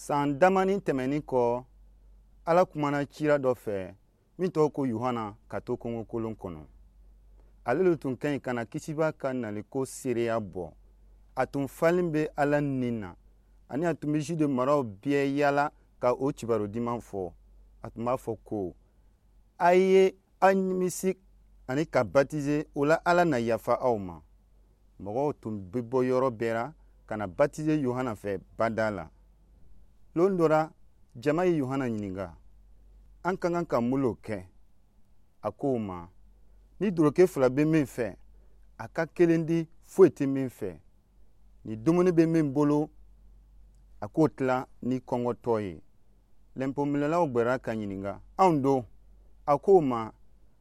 San damanin tɛmɛnin kɔ, Ala kumana cira dɔ fɛ min tɔgɔ ko Yohana ka to kungokolon kɔnɔ. Ale le tun ka ɲi ka na Kisiba ka naliko seereya bɔ. A tun falen bɛ Ala ni na, ani a tun bɛ Jude maraw bɛɛ yaala ka o kibaru diman fɔ. A tun b'a fɔ ko: "A ye aw nimisi ani ka batize, o la Ala na yafa aw ma." Mɔgɔw tun bɛ bɔ yɔrɔ bɛɛ la ka na batize Yohana fɛ bada la. Lon dɔ la, jama ye Yohana ɲininka: "An ka kan ka mun lo kɛ?" A ko o ma: "Ni doroke fila bɛ min fɛ, a ka kelen di foyi tɛ min fɛ. Ni dumuni bɛ min bolo, a k'o tila ni kɔngɔtɔ ye." Lɛnpominɛlaw gbɛra ka ɲininka: "Anw don?" A ko o ma: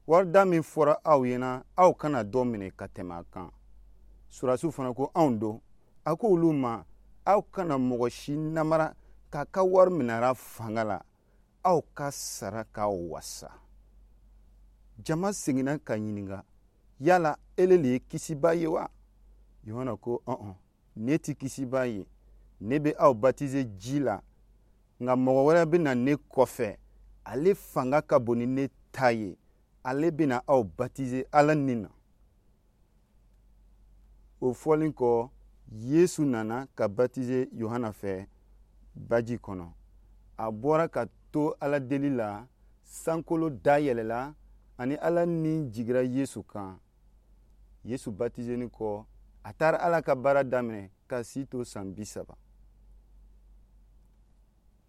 "Warida min fɔra aw ɲɛna, aw kana dɔ minɛ ka tɛmɛ a kan." Surasiw fana ko: "Anw don?" A ko olu ma: "Aw kana mɔgɔ si namara k'a ka wari minɛra fanga la. Aw ka sara k'aw wasa." Jama seginna ka ɲininka: "Yala ele le ye Kisiba ye wa?" Yohana ko: "Ɔn, ne tɛ Kisiba ye. Ne bɛ aw batize ji la, nka mɔgɔ wɛrɛ bɛ na ne kɔfɛ, ale fanga ka bon ni ne ta ye. Ale bɛna aw batize Ala ni na." O fɔlen kɔ, Yesu nana ka batize Yohana fɛ baji kɔnɔ. A bɔra ka to Ala deli la, sankolo dayɛlɛla ani Ala ni jigira Yesu kan. Yesu batizeni kɔ, a taara Ala ka baara daminɛ ka si to san 30.